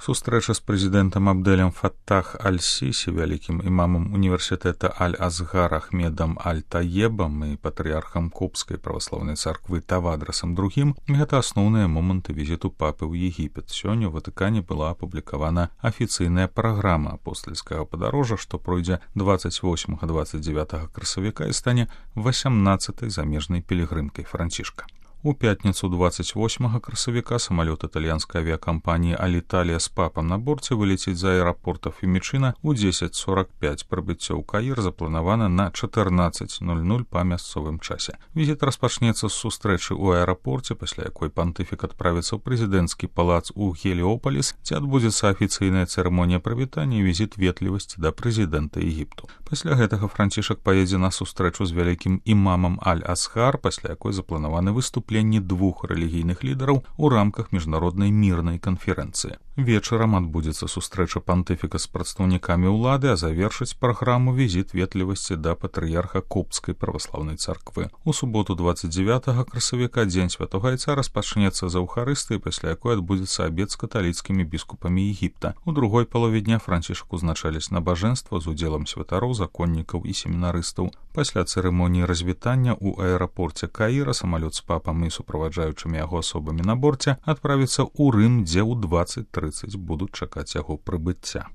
Сустрэча з прэзідэнтам Абдэлем Фаттах Аль-Сісі, вялікім імамам універсітэта Аль-Азгар Ахмедам Аль-Таебам і патрыархам Копскай праваслаўнай царквы Тавадрасам II — гэта асноўныя моманты візіту папы ў Егіпет. Сёння ў Ватыкане была апублікавана афіцыйная праграма апостальскага падарожжа, што пройдзе 28-29 красавіка і стане 18-й замежнай пілігрымкай Францішка. У пятніцу 28 красавіка самалёт італьянскай авіякампаніі «Аліталія» з папам на борце вылеціць з аэрапорта Фімічына ў 10:45. Прыбыццё ў Каір запланавана на 14:00 па мясцовым часе. Візіт распачнецца з сустрэчы ў аэрапорце, пасля якой пантыфік адправіцца ў прэзідэнцкі палац у Геліёпаліс, дзе адбудзецца афіцыйная цырымонія прывітання і візіт ветлівасці да прэзідэнта Егіпту. Пасля гэтага Францішак паедзе на сустрэчу з вялікім імамам Аль-Азгар, пасля якой запланаваны выступленні двух рэлігійных лідараў у рамках міжнароднай мірнай канферэнцыі. Вечарам адбудзецца сустрэча пантыфіка з прадстаўнікамі ўлады, а завершыць праграму візіт ветлівасці да патрыярха Копскай праваслаўнай царквы. У суботу 29 красавіка дзень святога Айца распачнецца з Эўхарыстыі, пасля якой адбудзецца абед з каталіцкімі біскупамі Егіпта. У другой палове дня Францішак узначаліць набажэнства з удзелам святароў, законнікаў і семінарыстаў. Пасля цырымоніі развітання ў аэрапорце Каіра самалёт з папам і суправаджаючымі яго асобамі на борце адправіцца ў Рым, дзе ў 20:30 будуць чакаць яго прыбыцця.